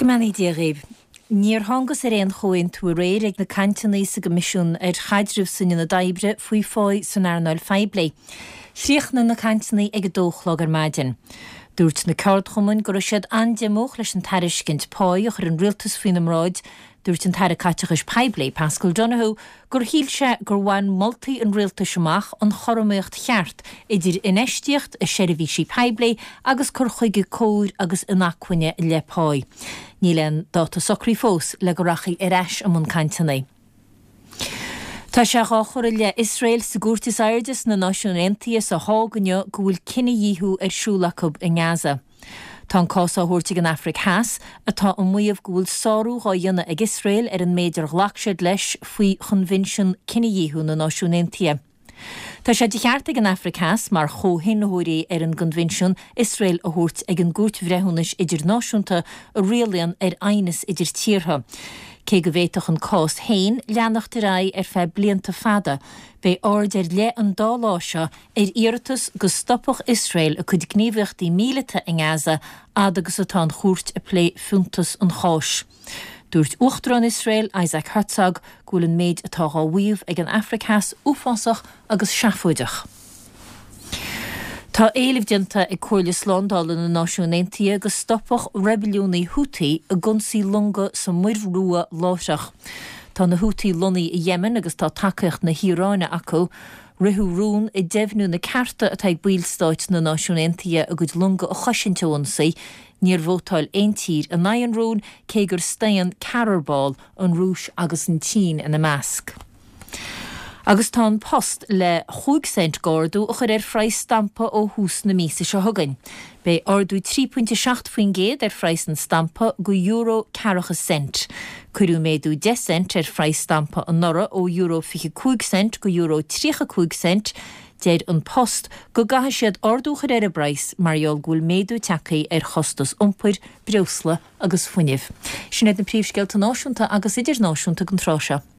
Go mbeannaí Dia dhaoibh. Níor thángas ar aon chomhaontú aréir ag na cainteanna sa gCoimisiún ar Chaidreamh san Ionad Oibre faoi pháí san earnáil phoiblí. Chríochnaigh na cainteanna ag a dó a chlog ar maidin. Dúirt na ceardchumainn go raibh siad an-diomúch leis an tairiscint páí a chuir an rialtas faoina mbráid. Dúirt an tAire Caiteachais Poiblí, Paschal Donohoe, gur shíl sé gur bhain moltaí an rialtais amach an chothromaíocht cheart idir infheistíocht i seirbhísí poiblí agus cur chuige cóir agus inacmhainne i leith páí. Níl aon dáta socraithe fós le go rachaí ar ais i mbun cainteanna. Tá sé dhá chur i leith Iosrael sa gcúirt is airde sna Náisiúin Aontaithe sa Hág inniu go bhfuil cinedhíothú ar siúl acu i nGaza. Tá an cás á thabhairt ag an Afraic Theas, atá ag maíomh go bhfuil sárú dhá dhéanamh ag Iosrael ar an méid ar ghlac siad leis faoi Choinbhinsiún Cinedhíothú na Náisiún Aontaithe. Tá sé de cheart ag an Afraic Theas, mar chomhshínitheoirí ar an gCoinbhinsiún, Iosrael a thabhairt ag an gCúirt Bhreithiúnais Idirnáisiúnta a rialaíonn ar aighneas idir tíortha. Cé go bhféadfadh an cás féin leanacht ar aghaidh ar feadh blianta fada, beidh aird ar leith an dá lá seo ar iarratas go stopfadh Iosrael a cuid gníomhaíochtaí míleata i nGaza fhad agus atá an chúirt ag plé fiúntas an cháis. Dúirt Uachtarán Iosrael, Isaac Herzog, go bhfuil an méid atá dhá mhaíomh ag an Afraic Theas uafásach agus seafóideach. Tá éileamh déanta ag Comhairle Slándála na Náisiún Aontaithe go stopfadh reibiliúnaigh Houthi ag ionsaí longa sa Muir Rua láithreach. Tá na Houthi lonnaithe i Yemen agus tá tacaíocht na hIaráine acu. Ritheadh rún ag deimhniú na cearta atá ag baill stáit na Náisiún Aontaithe a gcuid longa a chosaint ó ionsaí. Níor vótáil aon tír in aghaidh an rúin, cé gur staon ceathrar ball, an Rúis agus an tSín ina measc. Agus tá An Post le chúig cent d'ardú a chur ar phraghas stampa ó thús na míosa seo chugainn. Beidh ardú 3.7% ar phraghas an stampa go euro ceathracha cent. Cuireadh méadú 10 cent ar phraghas stampa anuraidh ó euro 25 cent go euro 35 cent. Deir An Post go gcaithfidh siad ardú a chur ar an bpraghas mar gheall go bhfuil méadú tagtha ar chostas iompair, breosla agus fuinnimh. Sin iad na príomhscéalta náisiúnta agus idirnáisiúnta don tráth seo.